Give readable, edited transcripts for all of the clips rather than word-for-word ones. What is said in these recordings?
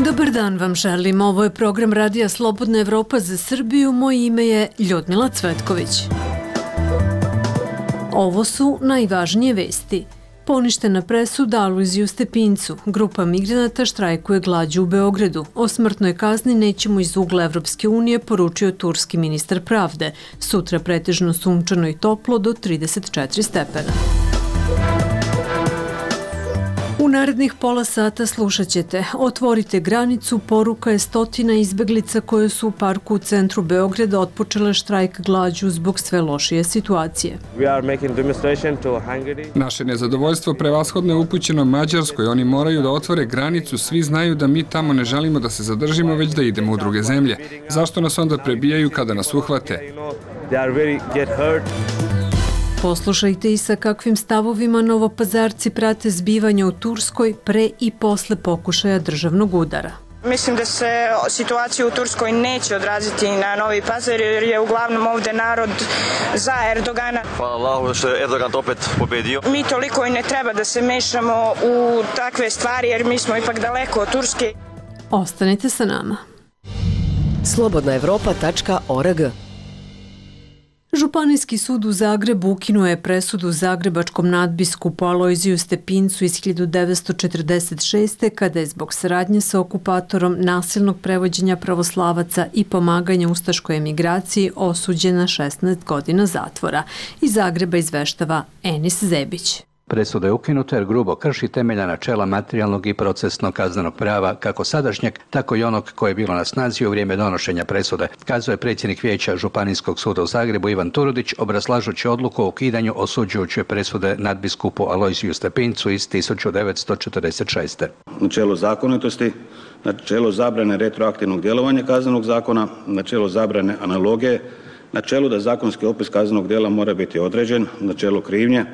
Dobar dan vam želim. Ovo je program Radija Slobodna Evropa za Srbiju. Moje ime je Ljudmila Cvetković. Ovo su najvažnije vesti. Poništena presuda Alojziju Stepincu. Grupa migranata štrajkuje glađu u Beogradu. O smrtnoj kazni nećemo iz ugla Evropske unije, poručio turski ministar pravde. Sutra pretežno sunčano i toplo do 34 stepena. U narednih pola sata slušat ćete: otvorite granicu, poruka je stotina izbeglica koje su u parku u centru Beograda otpočele štrajk glađu zbog sve lošije situacije. Naše nezadovoljstvo prevashodno je upućeno Mađarskoj. Oni moraju da otvore granicu, svi znaju da mi tamo ne želimo da se zadržimo, već da idemo u druge zemlje. Zašto nas onda prebijaju kada nas uhvate? Poslušajte i sa kakvim stavovima Novopazarci prate zbivanja u Turskoj pre i posle pokušaja državnog udara. Mislim da se situacija u Turskoj neće odraziti na Novi Pazar jer je uglavnom ovde narod za Erdogana. Hvala Allahu što je Erdogan opet pobedio. Mi toliko i ne treba da se mešamo u takve stvari jer mi smo ipak daleko od Turske. Ostanite sa nama. slobodnaevropa.org. Županijski sud u Zagrebu ukinuo je presudu zagrebačkom nadbiskupu Alojziju Stepincu iz 1946. kada je zbog saradnje sa okupatorom, nasilnog prevođenja pravoslavaca i pomaganja ustaškoj emigraciji osuđen na 16 godina zatvora. Iz Zagreba izveštava Enis Zebić. Presuda je ukinuta jer grubo krši temeljna načela materijalnog i procesnog kaznenog prava, kako sadašnjeg, tako i onog koje je bilo na snazi u vrijeme donošenja presude, kazao je predsjednik vijeća Županijskog suda u Zagrebu Ivan Turudić, obrazlažući odluku o ukidanju osuđujuće presude nadbiskupu Alojziju Stepincu iz 1946. Načelo zakonitosti, načelo zabrane retroaktivnog djelovanja kaznenog zakona, načelo zabrane analogije, načelo da zakonski opis kaznenog djela mora biti određen, načelo krivnje,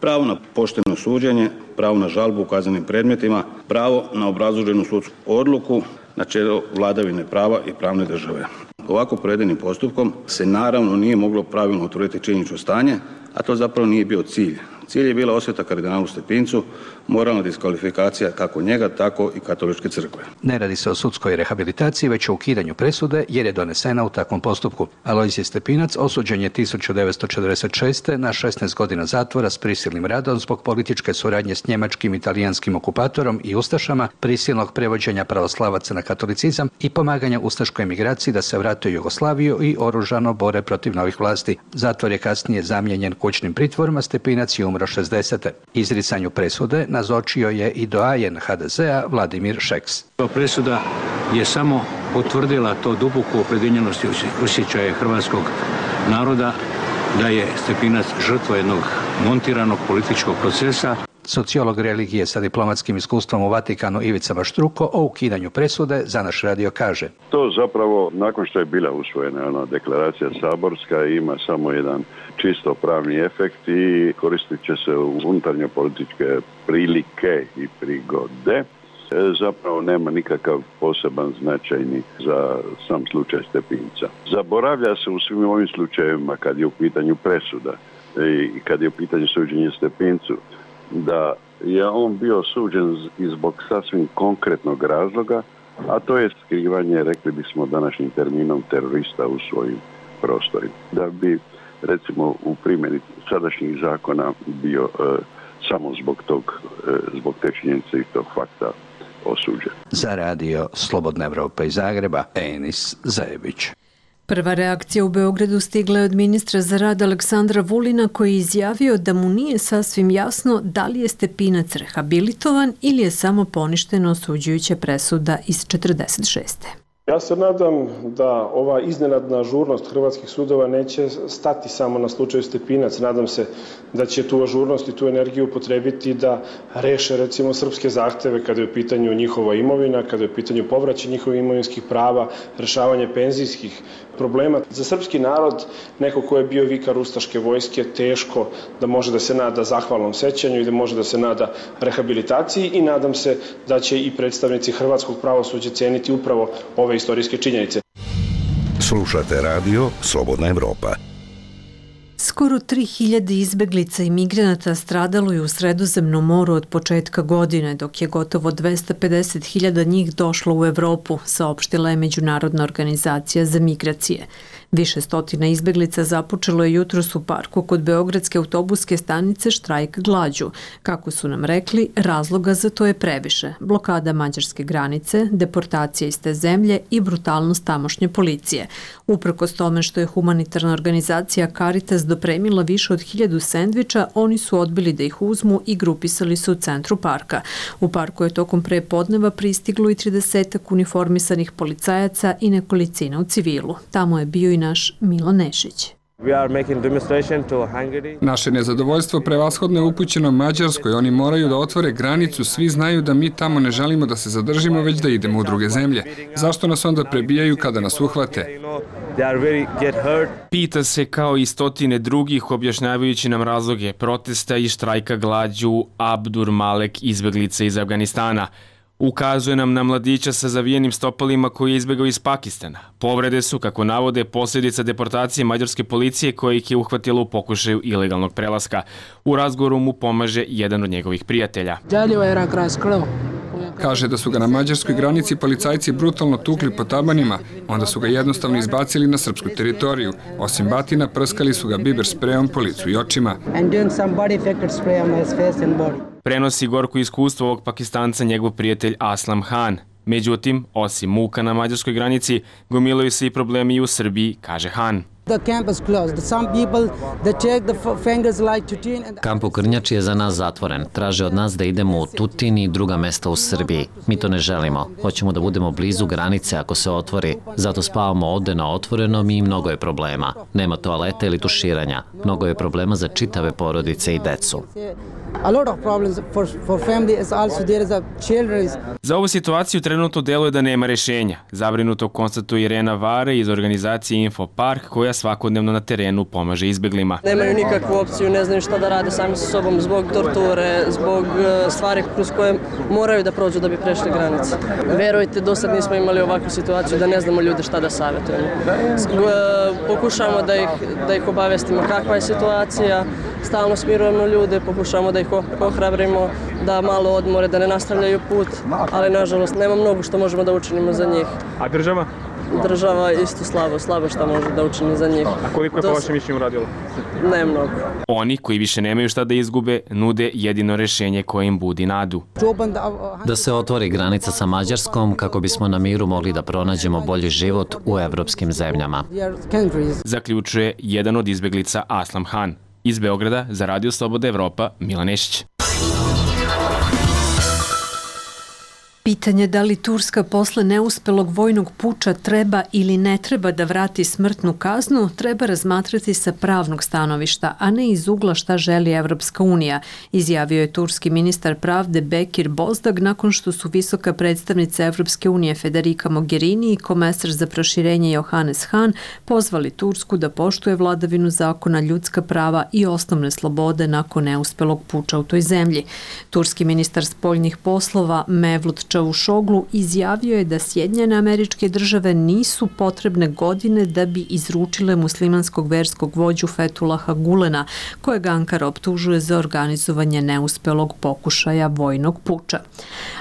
pravo na pošteno suđenje, pravo na žalbu u kaznenim predmetima, pravo na obrazloženu sudsku odluku, načelo vladavine prava i pravne države. Ovako provedenim postupkom se naravno nije moglo pravilno utvrditi činjenično stanje, a to zapravo nije bio cilj. Cilj je bila osveta kardinalu Stepincu, moralna diskvalifikacija kako njega, tako i katoličke crkve. Ne radi se o sudskoj rehabilitaciji, već o ukidanju presude jer je donesena u takvom postupku. Alojzije Stepinac osuđen je 1946. na 16 godina zatvora s prisilnim radom zbog političke suradnje s njemačkim i italijanskim okupatorom i ustašama, prisilnog prevođenja pravoslavaca na katolicizam i pomaganja ustaškoj emigraciji da se vrate u Jugoslaviju i oružano bore protiv novih vlasti. Zatvor je kasnije zamijenjen kućnim pritvorom, Stepinac je umro 60. Izricanju presude nazočio je i doajen HDZ-a Vladimir Šeks. Presuda je samo potvrdila to duboku opredjeljenost i osjećaje hrvatskog naroda da je Stepinac žrtva jednog montiranog političkog procesa. Sociolog religije sa diplomatskim iskustvom u Vatikanu Ivica Maštruko o ukidanju presude za naš radio kaže: to zapravo, nakon što je bila usvojena deklaracija saborska, ima samo jedan čisto pravni efekt i koristit će se u unutarnje političke prilike i prigode. Zapravo nema nikakav poseban značajni za sam slučaj Stepinca. Zaboravlja se u svim ovim slučajevima kad je u pitanju presuda i kad je u pitanju suđenje Stepincu da je on bio suđen i zbog sasvim konkretnog razloga, a to je skrivanje, rekli bismo današnjim terminom, terorista u svojim prostorima. Da bi, recimo, u primjeni sadašnjih zakona bio samo zbog te činjenice i tog fakta osuđen. Za radio Slobodna Evropa iz Zagreba, Enis Zebić. Prva reakcija u Beogradu stigla je od ministra za rad Aleksandra Vulina, koji je izjavio da mu nije sasvim jasno da li je Stepinac rehabilitovan ili je samo poništena osuđujuća presuda iz 46. Ja se nadam da ova iznenadna ažurnost hrvatskih sudova neće stati samo na slučaju Stepinac. Nadam se da će tu ažurnost i tu energiju upotrebiti da reše recimo srpske zahteve kada je u pitanju njihova imovina, kada je u pitanju povraćaj njihovih imovinskih prava, rešavanje penzijskih problema. Za srpski narod, neko ko je bio vikar ustaške vojske, teško da može da se nada zahvalnom sećanju i da može da se nada rehabilitaciji i nadam se da će i predstavnici hrvatskog pravosuđa ceniti upravo ove istorijske činjenice. Slušate radio Slobodna Evropa. Skoro 3000 izbeglica i migranata stradalo je u Sredozemnom moru od početka godine, dok je gotovo 250.000 njih došlo u Evropu, saopštila je Međunarodna organizacija za migracije. Više stotina izbeglica započelo je jutros u parku kod Beogradske autobuske stanice štrajk glađu. Kako su nam rekli, razloga za to je previše. Blokada mađarske granice, deportacija iz te zemlje i brutalnost tamošnje policije. Uprkos tome što je humanitarna organizacija Caritas dopremila više od 1000 sendviča, oni su odbili da ih uzmu i grupisali se u centru parka. U parku je tokom prepodneva pristiglo i 30 uniformisanih policajaca i nekolicina u civilu. Tamo je bio i naš Milo Nešić. Naše nezadovoljstvo prevashodno je upućeno Mađarskoj. Oni moraju da otvore granicu. Svi znaju da mi tamo ne želimo da se zadržimo, već da idemo u druge zemlje. Zašto nas onda prebijaju kada nas uhvate? Pita se kao i stotine drugih, objašnjavajući nam razloge protesta i štrajka glađu Abdur Malek, izbeglica iz Afganistana. Ukazuje nam na mladića sa zavijenim stopalima koji je izbegao iz Pakistana. Povrede su, kako navode, posljedica deportacije mađarske policije koja ih je uhvatila u pokušaju ilegalnog prelaska. U razgovoru mu pomaže jedan od njegovih prijatelja. Kaže da su ga na mađarskoj granici policajci brutalno tukli po tabanima, onda su ga jednostavno izbacili na srpsku teritoriju. Osim batina, prskali su ga biber sprejom po licu i očima. Prenosi gorko iskustvo ovog Pakistanca njegov prijatelj Aslam Han. Međutim, osim muka na mađarskoj granici, gomilaju se i problemi i u Srbiji, kaže Han. Kamp u Krnjači je za nas zatvoren. Traže od nas da idemo u Tutin i druga mesta u Srbiji. Mi to ne želimo. Hoćemo da budemo blizu granice ako se otvori. Zato spavamo ovde na otvorenom i mnogo je problema. Nema toaleta ili tuširanja. Mnogo je problema za čitave porodice i decu. Za ovu situaciju trenutno deluje da nema rešenja. Zabrinuto konstatuje Irena Vare iz organizacije Info Park, koja svakodnevno na terenu pomaže izbeglima. Nemaju nikakvu opciju, ne znaju šta da rade sami sa sobom zbog torture, zbog stvari kroz koje moraju da prođu da bi prešli granice. Verujte, do sad nismo imali ovakvu situaciju da ne znamo ljude šta da savjetujemo. Pokušamo da ih obavestimo kakva je situacija, stalno smirujemo ljude, pokušamo da ih ohrabrimo, da malo odmore, da ne nastavljaju put, ali nažalost nema mnogo što možemo da učinimo za njih. A država? Država isto slabo što može da učini za njih. A koliko je po vašem mišljenju uradilo? Ne mnogo. Oni koji više nemaju šta da izgube, nude jedino rešenje koje im budi nadu. Da se otvori granica sa Mađarskom kako bismo na miru mogli da pronađemo bolji život u evropskim zemljama. Zaključuje jedan od izbeglica Aslam Han. Iz Beograda za Radio Sloboda Evropa, Milo Nešić. Pitanje da li Turska posle neuspelog vojnog puča treba ili ne treba da vrati smrtnu kaznu treba razmatrati sa pravnog stanovišta, a ne iz ugla šta želi Evropska unija, izjavio je turski ministar pravde Bekir Bozdag nakon što su visoka predstavnica Evropske unije Federica Mogherini i komesar za proširenje Johannes Hahn pozvali Tursku da poštuje vladavinu zakona, ljudska prava i osnovne slobode nakon neuspelog puča u toj zemlji. Turski ministar spoljnih poslova Mevlut Čavušoglu izjavio je da Sjedinjene Američke Države nisu potrebne godine da bi izručile muslimanskog verskog vođu Fetulaha Gulena, kojeg Ankara optužuje za organizovanje neuspelog pokušaja vojnog puča.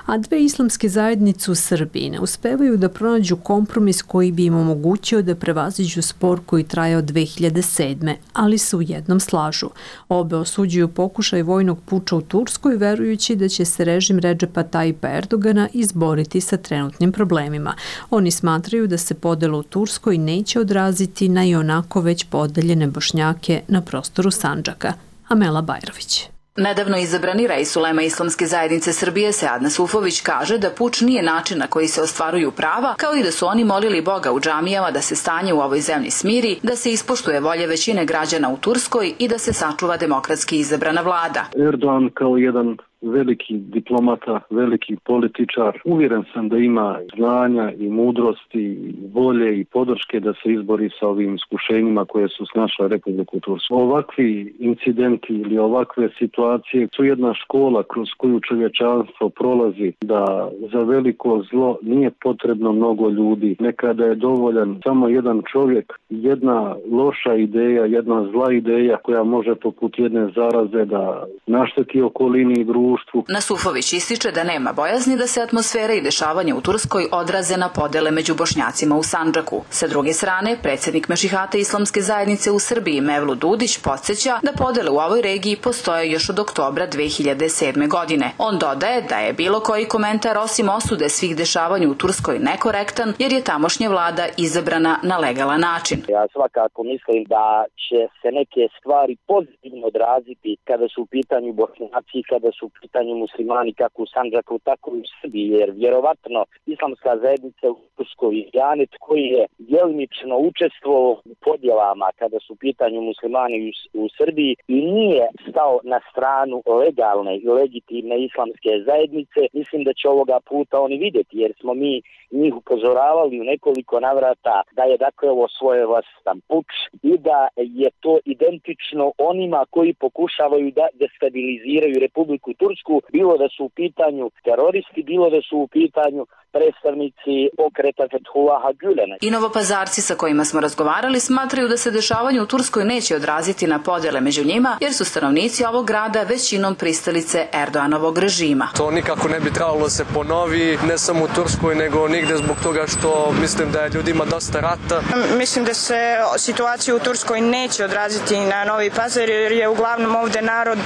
A dve islamske zajednice u Srbiji ne uspevaju da pronađu kompromis koji bi im omogućio da prevaziđu spor koji traje od 2007. ali se u jednom slažu. Obe osuđuju pokušaj vojnog puča u Turskoj, verujući da će se režim Redžepa Tajipa Erdogana izboriti sa trenutnim problemima. Oni smatraju da se podela u Turskoj neće odraziti na i onako već podeljene Bošnjake na prostoru Sandžaka. Amela Bajrović. Nedavno izabrani rais ulema Islamske zajednice Srbije Seadna Sufović kaže da puč nije način na koji se ostvaruju prava, kao i da su oni molili Boga u džamijama da se stanje u ovoj zemlji smiri, da se ispoštuje volje većine građana u Turskoj i da se sačuva demokratski izabrana vlada. Erdogan kao jedan veliki diplomata, veliki političar. Uvjeren sam da ima znanja i mudrosti, volje i podrške da se izbori sa ovim iskušenjima koje su snašle Republiku Tursku. Ovakvi incidenti ili ovakve situacije su jedna škola kroz koju čovječanstvo prolazi, da za veliko zlo nije potrebno mnogo ljudi. Nekada je dovoljan samo jedan čovjek, jedna loša ideja, jedna zla ideja koja može poput jedne zaraze da našteti okolini i društvu. Nasufović ističe da nema bojazni da se atmosfera i dešavanja u Turskoj odraze na podele među Bošnjacima u Sandžaku. Sa druge strane, predsjednik Mešihata Islamske zajednice u Srbiji Mevlut Dudić podsjeća da podele u ovoj regiji postoje još od oktobra 2007. godine. On dodaje da je bilo koji komentar osim osude svih dešavanja u Turskoj nekorektan jer je tamošnja vlada izabrana na legalan način. Ja svakako mislim da će se neke stvari pozitivno odraziti kada su u pitanju Bošnjaci, kada su u pitanju muslimani kako u Sandžaku, tako i u Srbiji, jer vjerovatno Islamska zajednica u Turskoj je janet koji je djelimično učestvovao u podjelama kada su u pitanju muslimani u Srbiji i nije stao na stranu legalne i legitimne islamske zajednice. Mislim da će ovoga puta oni vidjeti, jer smo mi njih upozoravali u nekoliko navrata da je dakle ovo svojevrstan puč i da je to identično onima koji pokušavaju da destabiliziraju Republiku Tursku, bilo da su u pitanju teroristi, bilo da su u pitanju predstavnici pokreta Fethullaha Gülena. I Novopazarci sa kojima smo razgovarali smatraju da se dešavanje u Turskoj neće odraziti na podjele među njima, jer su stanovnici ovog grada većinom pristalice Erdoganovog režima. To nikako ne bi trebalo se ponovi, ne samo u Turskoj, nego nigde zbog toga što mislim da je ljudima dosta rata. Mislim da se situacija u Turskoj neće odraziti na Novi Pazar, jer je uglavnom ovde narod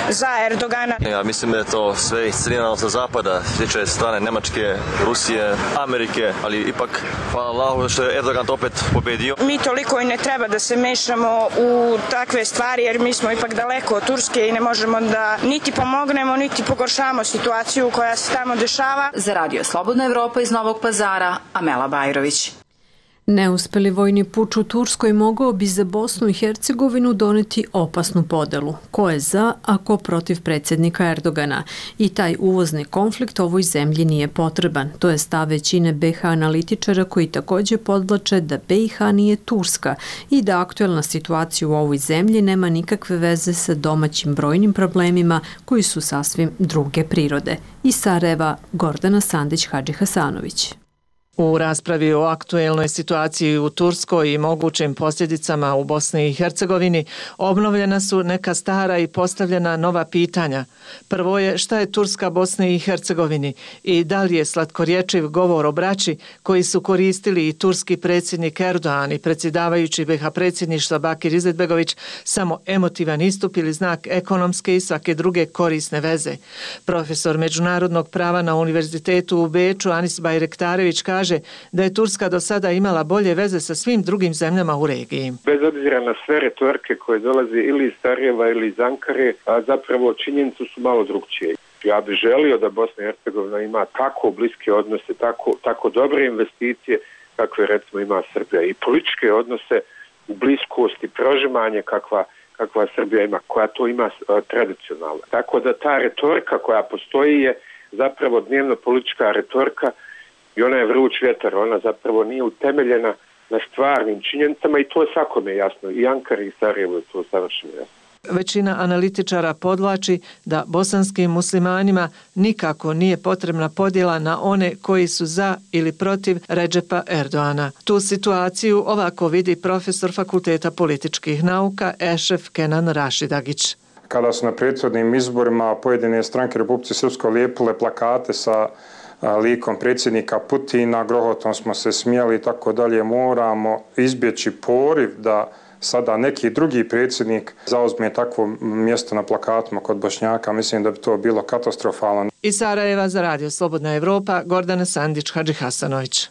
za Erdogana. Ja mislim da je to sve iscrljeno sa zapada, tiče strane Nemačke, Rusije, Amerike, ali ipak hvala Allahu što je Erdogan opet pobedio. Mi toliko i ne treba da se mešamo u takve stvari, jer mi smo ipak daleko od Turske i ne možemo da niti pomognemo, niti pogoršamo situaciju koja se tamo dešava. Za Radio Slobodna Evropa iz Novog Pazara, Amela Bajrović. Neuspeli vojni puč u Turskoj mogao bi za Bosnu i Hercegovinu doneti opasnu podelu. Ko je za, a ko protiv predsjednika Erdogana. I taj uvozni konflikt ovoj zemlji nije potreban. To je stav većine BiH analitičara koji također podvlače da BiH nije Turska i da aktuelna situacija u ovoj zemlji nema nikakve veze sa domaćim brojnim problemima koji su sasvim druge prirode. Iz Sarajeva, Gordana Sandić-Hadži-Hasanović. U raspravi o aktuelnoj situaciji u Turskoj i mogućim posljedicama u Bosni i Hercegovini obnovljena su neka stara i postavljena nova pitanja. Prvo je šta je Turska Bosni i Hercegovini i da li je slatkorječiv govor o braći koji su koristili i turski predsjednik Erdogan i predsjedavajući BiH predsjedništva Bakir Izetbegović samo emotivan istup ili znak ekonomske i svake druge korisne veze. Profesor međunarodnog prava na Univerzitetu u Beču Anis Bajrektarević kaže da je Turska do sada imala bolje veze sa svim drugim zemljama u regiji. Bez obzira na sve retorike koje dolaze ili iz Sarajeva ili iz Ankare, a zapravo činjenicu su malo drugčije. Ja bih želio da Bosna i Hercegovina ima tako bliske odnose, tako dobre investicije kakve recimo ima Srbija i političke odnose u bliskosti, prožimanje kakva Srbija ima, koja to ima tradicionalno. Tako da ta retorika koja postoji je zapravo dnevno politička retorika i ona je vruć vjetar, ona zapravo nije utemeljena na stvarnim činjenicama i to je svakome jasno. I Ankara i Sarajevo je to savršeno jasno. Većina analitičara podvlači da bosanskim muslimanima nikako nije potrebna podjela na one koji su za ili protiv Redžepa Erdoana. Tu situaciju ovako vidi profesor Fakulteta političkih nauka Ešref Kenan Rašidagić. Kada su na prethodnim izborima pojedine stranke Republike Srpskoj lijepile plakate sa likom predsjednika Putina, grohotom smo se smijali i tako dalje, moramo izbjeći poriv da sada neki drugi predsjednik zauzme takvo mjesto na plakatima kod Bošnjaka. Mislim da bi to bilo katastrofalno. Iz Sarajeva za Radio Slobodna Evropa, Gordana Sandić-Hadži-Hasanović.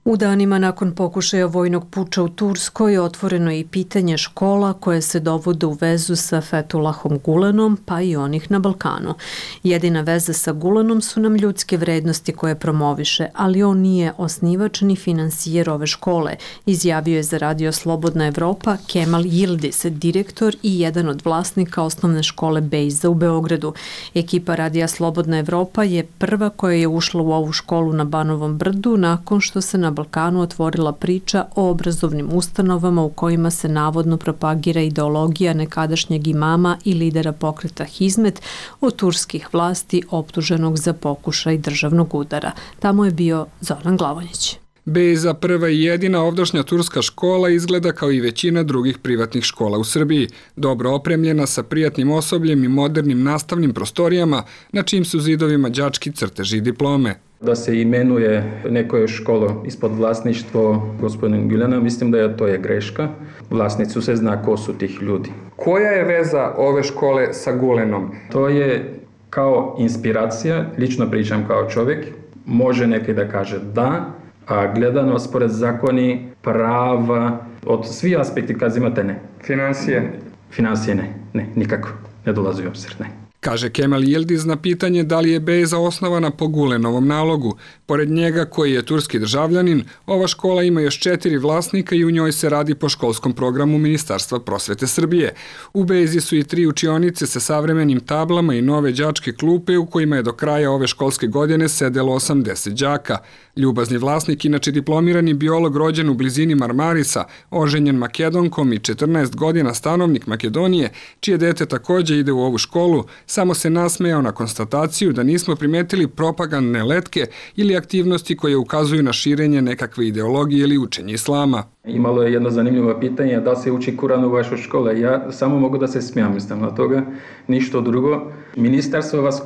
U danima nakon pokušaja vojnog puča u Turskoj otvoreno je i pitanje škola koje se dovode u vezu sa Fethullahom Gulenom, pa i onih na Balkanu. Jedina veza sa Gulenom su nam ljudske vrednosti koje promoviše, ali on nije osnivač ni finansijer ove škole, izjavio je za Radio Slobodna Evropa Kemal Yildiz, direktor i jedan od vlasnika osnovne škole Bejza u Beogradu. Ekipa Radija Slobodna Evropa je prva koja je ušla u ovu školu na Banovom brdu nakon što se na Balkanu otvorila priča o obrazovnim ustanovama u kojima se navodno propagira ideologija nekadašnjeg imama i lidera pokreta Hizmet od turskih vlasti optuženog za pokušaj državnog udara. Tamo je bio Zoran Glavonjić. Bejza, prva i jedina ovdašnja turska škola, izgleda kao i većina drugih privatnih škola u Srbiji, dobro opremljena sa prijatnim osobljem i modernim nastavnim prostorijama, na čijim su zidovima đački crteži i diplome. Da se imenuje neko školo ispod vlasništvo gospodina Gülena, mislim da to je greška. Vlasnicu se zna ko su tih ljudi. Koja je veza ove škole sa Gulenom? To je kao inspiracija, lično pričam kao čovjek, može neki da kaže da, a gledano spored zakoni, prava, od svih aspekti kad imate ne. Financije? Financije ne, nikako, ne dolazi u obzir, ne. Kaže Kemal Yildiz na pitanje da li je Bejza osnovana po Gulenovom nalogu. Pored njega, koji je turski državljanin, ova škola ima još 4 vlasnika i u njoj se radi po školskom programu Ministarstva prosvete Srbije. U Bejzi su i 3 učionice sa savremenim tablama i nove đačke klupe u kojima je do kraja ove školske godine sedelo 80 đaka. Ljubazni vlasnik, inače diplomirani biolog rođen u blizini Marmarisa, oženjen Makedonkom i 14 godina stanovnik Makedonije, čije dete takođe ide u ovu školu, samo se nasmejao na konstataciju da nismo primetili propagandne letke ili aktivnosti koje ukazuju na širenje nekakve ideologije ili učenje islama. Imalo je jedno zanimljivo pitanje, da se uči Kuran u vašoj školi. Ja samo mogu da se smijam, mislim na toga, ništa drugo. Ministarstvo vas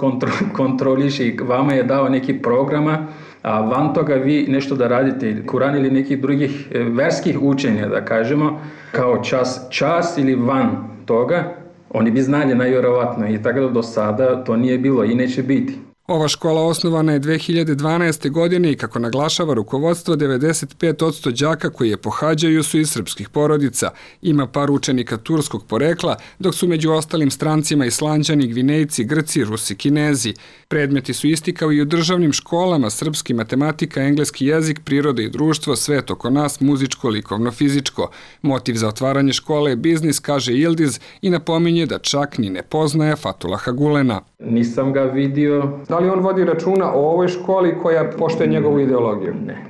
kontroliše i vama je dao neki programa, a van toga vi nešto da radite, Kuran ili nekih drugih verskih učenja, da kažemo, kao čas ili van toga, oni bi znali najvjerovatno i tako da do sada to nije bilo i neće biti. Ova škola osnovana je 2012. godine i kako naglašava rukovodstvo, 95% đaka koji je pohađaju su iz srpskih porodica. Ima par učenika turskog porekla, dok su među ostalim strancima Islanđani, Gvinejci, Grci, Rusi, Kinezi. Predmeti su isti kao i u državnim školama: srpski, matematika, engleski jezik, priroda i društvo, svet oko nas, muzičko, likovno, fizičko. Motiv za otvaranje škole je biznis, kaže Yildiz, i napominje da čak ni ne poznaje Fethullaha Gulena. Nisam ga vidio. Da li on vodi računa o ovoj školi koja poštuje njegovu ideologiju? Ne.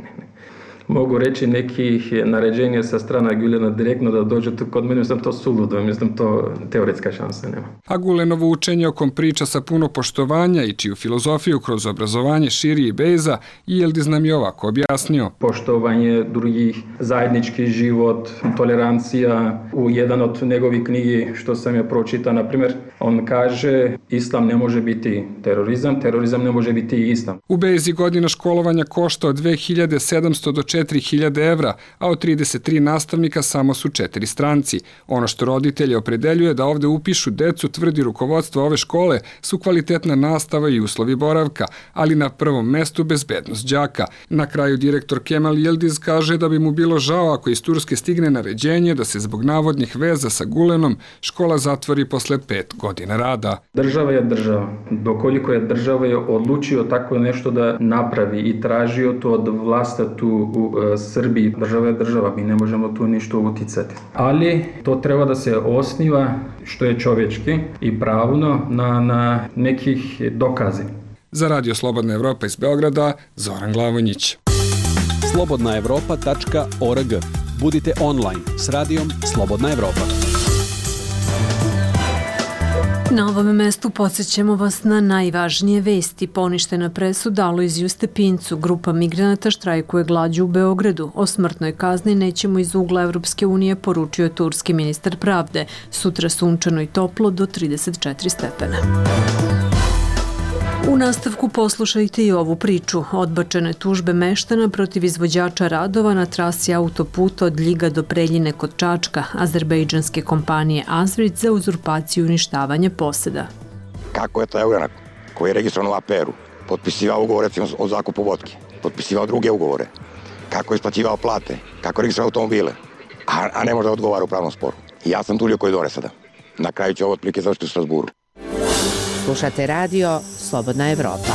Mogu reći nekih naređenja sa strana Gülena direktno da dođe tu kod mene, mislim to suludo, mislim to teoretska šansa nema. A Gulenovo učenje, o kom priča sa puno poštovanja i čiju filozofiju kroz obrazovanje širi i Bejza, Yildiz nam je ovako objasnio. Poštovanje drugih, zajednički život, tolerancija. U jedan od njegovih knjigi što sam ja pročitao, na primjer, on kaže islam ne može biti terorizam, terorizam ne može biti islam. U Bejzi godina školovanja košta od 2700 do 4000 evra, a od 33 nastavnika samo su 4 stranci. Ono što roditelje opredeljuje da ovde upišu decu, tvrdi rukovodstvo ove škole, su kvalitetna nastava i uslovi boravka, ali na prvom mestu bezbednost đaka. Na kraju direktor Kemal Yildiz kaže da bi mu bilo žao ako iz Turske stigne naređenje da se zbog navodnih veza sa Gulenom škola zatvori posle 5 godina rada. Država je država. Dokoliko je država je odlučio tako nešto da napravi i tražio to od vlasta tu u Srbiji. Država je država, mi ne možemo tu ništa uticati. Ali to treba da se osniva što je čovječki i pravno na nekih dokazi. Za Radio Slobodna Evropa iz Beograda, Zoran Glavonjić. slobodnaevropa.org. Budite online s radijom Slobodna Evropa. Na ovom mestu podsjećamo vas na najvažnije vesti. Poništena presuda Alojziju Stepincu. Grupa migranata štrajkuje glađu u Beogradu. O smrtnoj kazni nećemo iz ugla Evropske unije, poručio turski ministar pravde. Sutra sunčano i toplo do 34 stepena. U nastavku poslušajte i ovu priču. Odbačene tužbe meštana protiv izvođača radova na trasi autoputa od Ljiga do Preljine kod Čačka, azerbejdžanske kompanije Azvrit za uzurpaciju i uništavanje poseda. Kako je to Eugranak, koji je registrovan u APR-u, potpisivao ugovor recimo o zakupu vodke, potpisivao druge ugovore. kako je isplaćivao plate, kako je registrovao automobile, a ne može da odgovara u pravnom sporu. Ja sam tulio koridore sada. Na kraju će ovo otprilike završiti u Strasburu. Slušate radio Slobodna Evropa.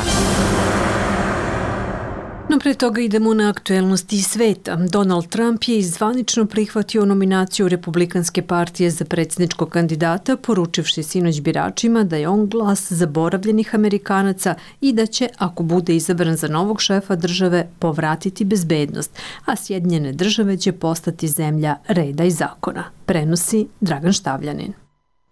No pre toga idemo na aktuelnosti sveta. Donald Trump je zvanično prihvatio nominaciju Republikanske partije za predsjedničkog kandidata, poručivši sinoć biračima da je on glas zaboravljenih Amerikanaca i da će, ako bude izabran za novog šefa države, povratiti bezbednost, a Sjedinjene države će postati zemlja reda i zakona. Prenosi Dragan Štavljanin.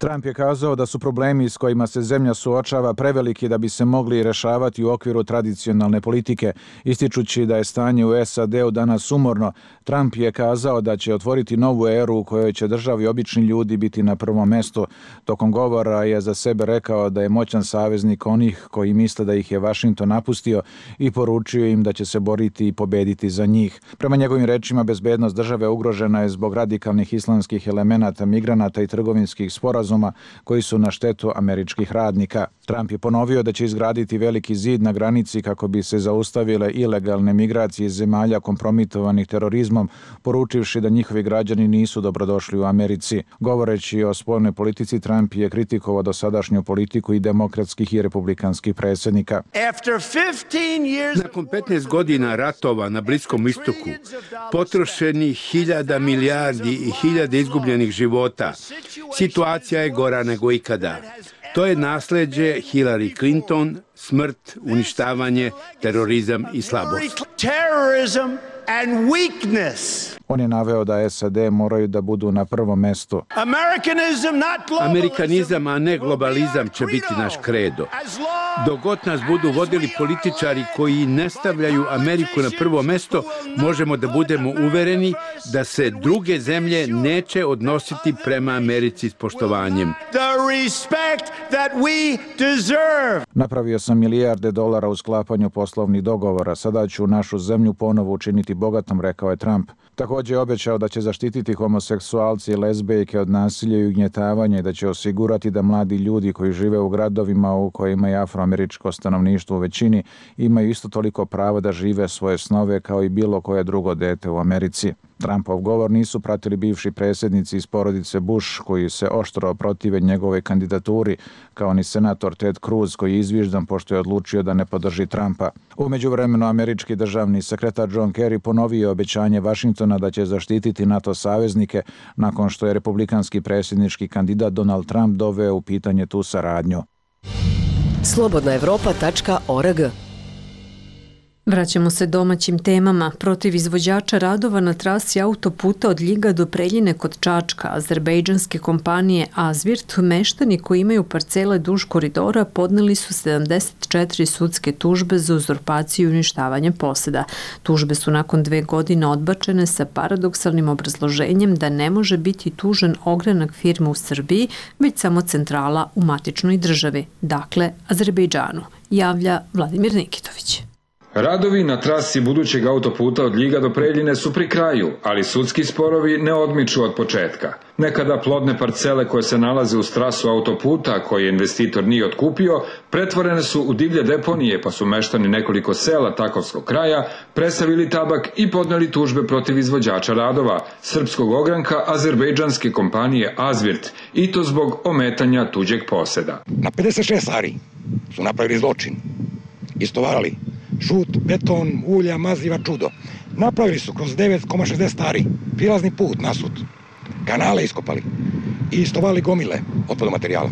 Trump je kazao da su problemi s kojima se zemlja suočava preveliki da bi se mogli rešavati u okviru tradicionalne politike. Ističući da je stanje u SAD-u danas umorno, Trump je kazao da će otvoriti novu eru u kojoj će državi obični ljudi biti na prvom mestu. Tokom govora je za sebe rekao da je moćan saveznik onih koji misle da ih je Washington napustio i poručio im da će se boriti i pobediti za njih. Prema njegovim rečima, bezbednost države ugrožena je zbog radikalnih islamskih elemenata, migranata i trgovinskih sporazuma koji su na štetu američkih radnika. Trump je ponovio da će izgraditi veliki zid na granici kako bi se zaustavile ilegalne migracije iz zemalja kompromitovanih terorizmom, poručivši da njihovi građani nisu dobrodošli u Americi. Govoreći o spoljnoj politici, Trump je kritikovao dosadašnju politiku i demokratskih i republikanskih predsjednika. Nakon 15 godina ratova na Bliskom istoku, potrošeni 1000 milijardi i 1000 izgubljenih života, situacija je gora nego ikada. To je nasleđe Hillary Clinton, smrt, uništavanje, terorizam i slabost. On je naveo da SAD moraju da budu na prvom mestu. Amerikanizam, a ne globalizam će biti naš kredo. Dok god nas budu vodili političari koji ne stavljaju Ameriku na prvo mesto, možemo da budemo uvereni da se druge zemlje neće odnositi prema Americi s poštovanjem. Napravio sam milijarde dolara u sklapanju poslovnih dogovora. Sada ću našu zemlju ponovo učiniti bogatom, rekao je Trump. Također je obećao da će zaštititi homoseksualce i lezbejke od nasilja i ugnjetavanja i da će osigurati da mladi ljudi koji žive u gradovima u kojima je afroameričko stanovništvo u većini imaju isto toliko pravo da žive svoje snove kao i bilo koje drugo dete u Americi. Trumpov govor nisu pratili bivši predsjednici iz porodice Bush koji se oštro protive njegove kandidaturi, kao ni senator Ted Cruz koji je izviždan pošto je odlučio da ne podrži Trumpa. U međuvremenu američki državni sekretar John Kerry ponovio obećanje Washingtona da će zaštititi NATO saveznike nakon što je republikanski predsjednički kandidat Donald Trump doveo u pitanje tu saradnju. slobodnaevropa.org. Vraćamo se domaćim temama. Protiv izvođača radova na trasi autoputa od Ljiga do Preljine kod Čačka, azerbejdžanske kompanije Azvirt, meštani koji imaju parcele duž koridora podneli su 74 sudske tužbe za uzurpaciju i uništavanje poseda. Tužbe su nakon 2 godine odbačene sa paradoksalnim obrazloženjem da ne može biti tužen ogranak firme u Srbiji, već samo centrala u matičnoj državi, dakle Azerbejdžanu, javlja Vladimir Nikitović. Radovi na trasi budućeg autoputa od Ljiga do Preljine su pri kraju, ali sudski sporovi ne odmiču od početka. Nekada plodne parcele koje se nalaze uz trasu autoputa, koje investitor nije otkupio, pretvorene su u divlje deponije, pa su meštani nekoliko sela Takovskog kraja presavili tabak i podneli tužbe protiv izvođača radova, srpskog ogranka azerbejdžanske kompanije Azvirt, i to zbog ometanja tuđeg poseda. Na 56 ari su napravili zločin, istovarali žut, beton, ulja, maziva, čudo. Napravili su kroz 9,60 ari prilazni put nasut, kanale iskopali i istovali gomile otpadnog materijala.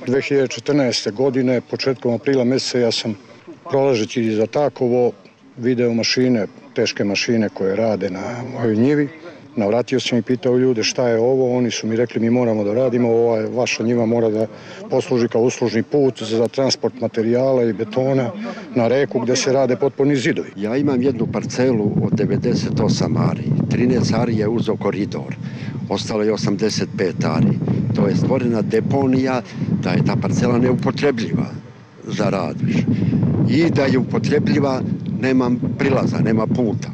2014. godine, početkom aprila mjeseca, ja sam prolažeći za Takovo video mašine, teške mašine koje rade na mojoj njivi. Navratio sam i pitao ljude šta je ovo, oni su mi rekli mi moramo da radimo, vaša njiva mora da posluži kao uslužni put za transport materijala i betona na reku gdje se rade potporni zidovi. Ja imam jednu parcelu od 98 ari, 13 ari je uzeo koridor, ostalo je 85 ari. To je stvorena deponija da je ta parcela neupotrebljiva za rad. I da je upotrebljiva nema prilaza, nema puta.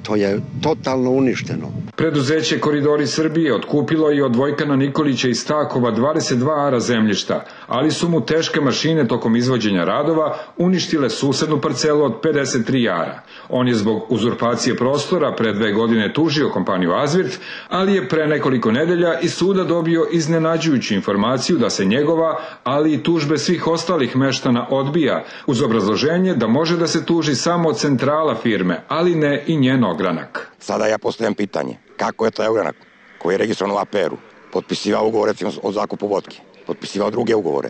To je totalno uništeno. Preduzeće Koridori Srbije otkupilo je od Vojkana Nikolića iz Stakova 22 ara zemljišta, ali su mu teške mašine tokom izvođenja radova uništile susednu parcelu od 53 ara. On je zbog uzurpacije prostora pre 2 godine tužio kompaniju Azvirt, ali je pre nekoliko nedelja iz suda dobio iznenađujuću informaciju da se njegova, ali i tužbe svih ostalih meštana odbija, uz obrazloženje da može da se tuži samo centrala firme, ali ne i njen ogranak. Sada ja postavljam pitanje, kako je taj ogranak koji je registrovan u APR-u potpisivao ugovore o zakupu vodke, potpisivao druge ugovore,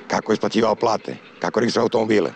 kako je isplaćivao plate, kako je registrovao automobile,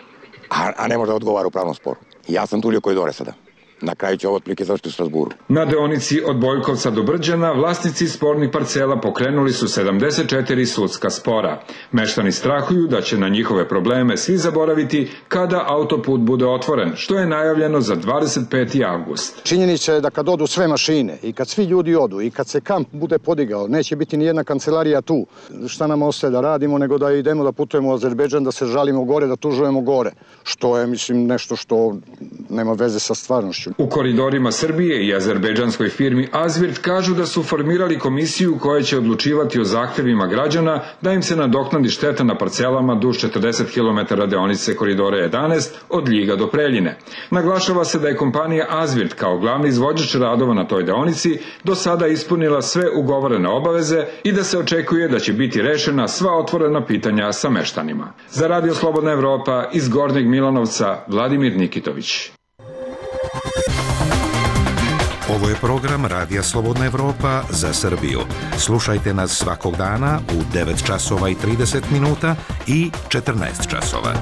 a ne može da odgovara u pravnom sporu. Ja sam tužio Koridore sada. Na kraju će ovo otprilike završiti u Strasburu. Na deonici od Bojkovca do Brđana vlasnici spornih parcela pokrenuli su 74 sudska spora. Meštani strahuju da će na njihove probleme svi zaboraviti kada autoput bude otvoren, što je najavljeno za 25. avgust. Činjenica je da kad odu sve mašine i kad svi ljudi odu i kad se kamp bude podigao, neće biti ni jedna kancelarija tu. Šta nam ostaje da radimo nego da idemo da putujemo u Azerbejdžan, da se žalimo gore, da tužujemo gore. Što je, mislim, nešto što nema veze sa stvarnošću. U Koridorima Srbije i azerbejdžanskoj firmi Azvirt kažu da su formirali komisiju koja će odlučivati o zahtevima građana da im se nadoknadi šteta na parcelama duž 40 km deonice Koridora 11 od Ljiga do Preljine. Naglašava se da je kompanija Azvirt kao glavni izvođač radova na toj deonici do sada ispunila sve ugovorene obaveze i da se očekuje da će biti rešena sva otvorena pitanja sa meštanima. Za Radio Slobodna Evropa iz Gornjeg Milanovca, Vladimir Nikitović. Ovo je program Radija Slobodna Evropa za Srbiju. Slušajte nas svakog dana u 9 časova i 30 minuta i 14 časova.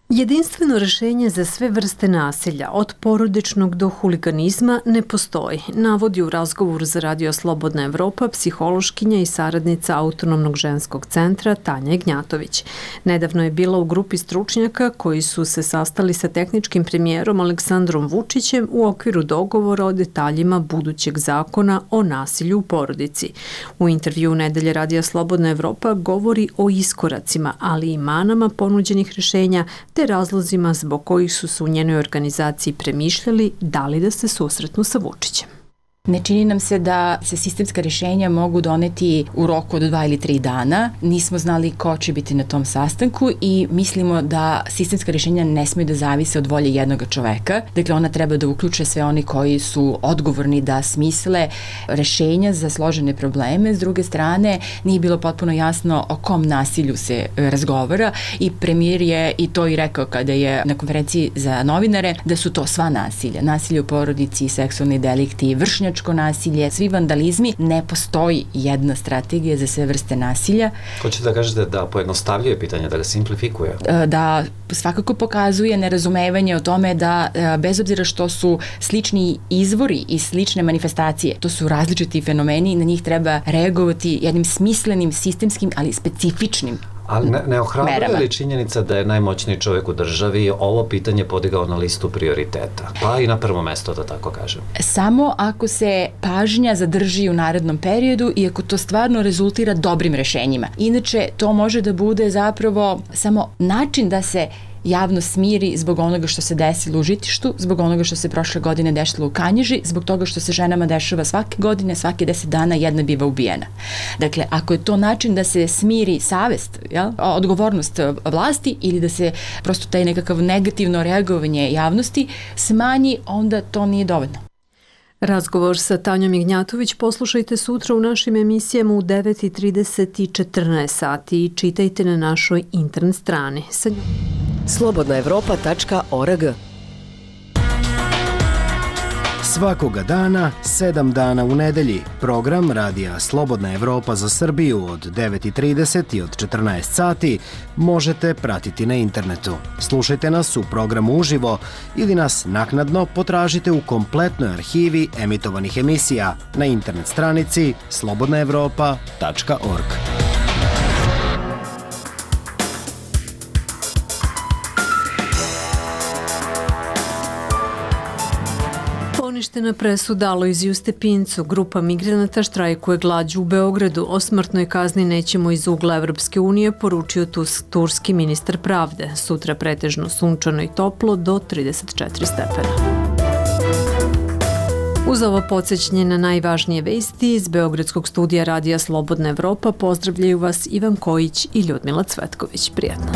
Jedinstveno rešenje za sve vrste nasilja, od porodičnog do huliganizma, ne postoji, navodi u razgovoru za Radio Slobodna Evropa psihološkinja i saradnica Autonomnog ženskog centra Tanja Ignjatović. Nedavno je bila u grupi stručnjaka koji su se sastali sa tehničkim premijerom Aleksandrom Vučićem u okviru dogovora o detaljima budućeg zakona o nasilju u porodici. U intervju Nedelje Radija Slobodna Evropa govori o iskoracima, ali i manama ponuđenih rešenja te razlozima zbog kojih su se u njenoj organizaciji premišljali da li da se susretnu sa Vučićem. Ne čini nam se da se sistemska rješenja mogu doneti u roku od 2 ili 3 dana. Nismo znali ko će biti na tom sastanku i mislimo da sistemska rješenja ne smiju da zavise od volje jednog čoveka. Dakle, ona treba da uključe sve oni koji su odgovorni da smisle rješenja za složene probleme. S druge strane, nije bilo potpuno jasno o kom nasilju se razgovara i premijer je i to i rekao kada je na konferenciji za novinare da su to sva nasilja. Nasilje u porodici, seksualni delikti, vršnjačko nasilje, svi vandalizmi, ne postoji jedna strategija za sve vrste nasilja. Hoćete da kažete da pojednostavljuje pitanje, da ga simplifikuje? Da svakako pokazuje nerazumevanje o tome da bez obzira što su slični izvori i slične manifestacije, to su različiti fenomeni i na njih treba reagovati jednim smislenim, sistemskim, ali specifičnim Ali ne ohrabruje li činjenica da je najmoćniji čovjek u državi ovo pitanje podigao na listu prioriteta? Pa i na prvo mesto, da tako kažem. Samo ako se pažnja zadrži u narednom periodu i ako to stvarno rezultira dobrim rešenjima. Inače, to može da bude zapravo samo način da se javno smiri zbog onoga što se desilo u Žitištu, zbog onoga što se prošle godine dešilo u Kanjiži, zbog toga što se ženama dešava svake godine, svake 10 dana jedna biva ubijena. Dakle, ako je to način da se smiri savest, odgovornost vlasti ili da se prosto taj nekakav negativno reagovanje javnosti smanji, onda to nije dovoljno. Razgovor sa Tanjom Ignjatović poslušajte sutra u našim emisijama u 9:30 i 14 sati i čitajte na našoj internet strani. slobodnaevropa.org. Svakoga dana, 7 dana u nedelji, program Radija Slobodna Evropa za Srbiju od 9:30 i od 14 sati možete pratiti na internetu. Slušajte nas u programu uživo ili nas naknadno potražite u kompletnoj arhivi emitovanih emisija na internet stranici slobodnaevropa.org. Poništena presuda Alojziju Stepincu. Grupa migranata štrajkuje glađu u Beogradu. O smrtnoj kazni nećemo iz ugla Evropske unije, poručio turski ministar pravde. Sutra pretežno sunčano i toplo do 34 stepena. Uz ovo podsjećanje na najvažnije vesti iz Beogradskog studija Radija Slobodna Evropa pozdravljaju vas Ivan Kojić i Ljudmila Cvetković. Prijatno.